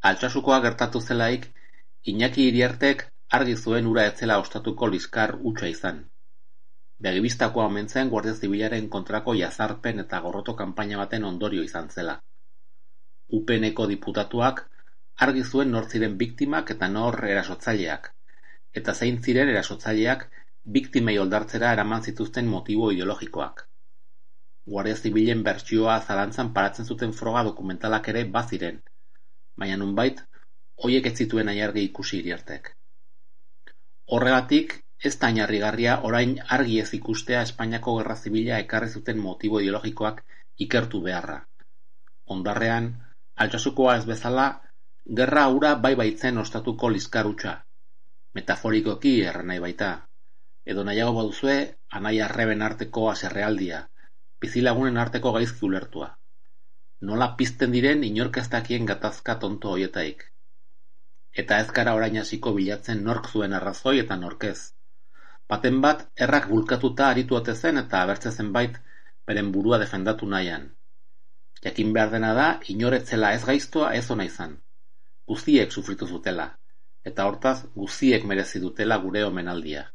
Altsasukoa gertatu zelaik, Iñaki Iriartek argi zuen hura ez zela ostatuko liskar hutsa izan. Begibistakoa omen zen Guardia Zibilaren kontrako jazarpen eta gorroto kanpaina baten ondorio izan zela. UPNeko diputatuak argi zuen nor ziren biktimak eta nor erasotzaileak, eta zein ziren erasotzaileak biktimei oldartzera eraman zituzten motibo ideologikoak. Guardia Zibilen bertsioa zalantzan paratzen zuten froga dokumentalak ere baziren, baina nonbait, hoiek ez zituen aiargi ikusi Iriartek. Horregatik, ez da harrigarria orain argi ez ikustea Espainiako Gerra Zibila ekarri zuten motibo ideologikoak ikertu beharra. Ondarrean, Altsasukoa ez bezala, gerra hura bai baitzen ostatuko liskar hutsa. Metaforikoki erranai baita. Edo nahiago baduzue, anai arreben arteko haserrealdia, bizilagunen arteko gaizki ulertua. Nola pizten diren inork ez dakien gatazka tonto hoietaik. Eta ez gara orain hasiko bilatzen nork zuen arrazoi eta norkez. Baten bat, errak bulkatuta aritu ote zen eta abertze zenbait beren burua defendatu nahian. Jakin behar dena da, inoretzela ez gaiztoa ez ona izan. Guztiek sufritu zutela, eta hortaz guztiek merezi dutela gure omenaldia.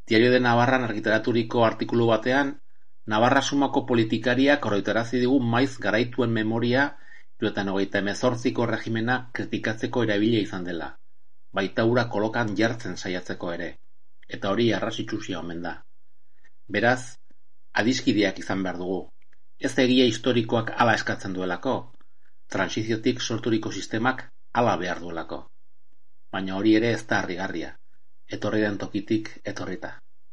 Diario de Navarran argitaraturiko artikulu batean, Navarra sumako politikariak oroitarazi digu maiz garaituen memoria 1998ko regimena kritikatzeko erabilia izan dela, baita hura kolokan jartzen saiatzeko ere, eta hori arrasitsusia omen da. Beraz, adiskideak izan behar dugu, ez egia historikoak hala eskatzen duelako, transiziotik sorturiko sistemak hala behar duelako. Baina hori ere ez da harrigarria, etorri den tokitik etorrita.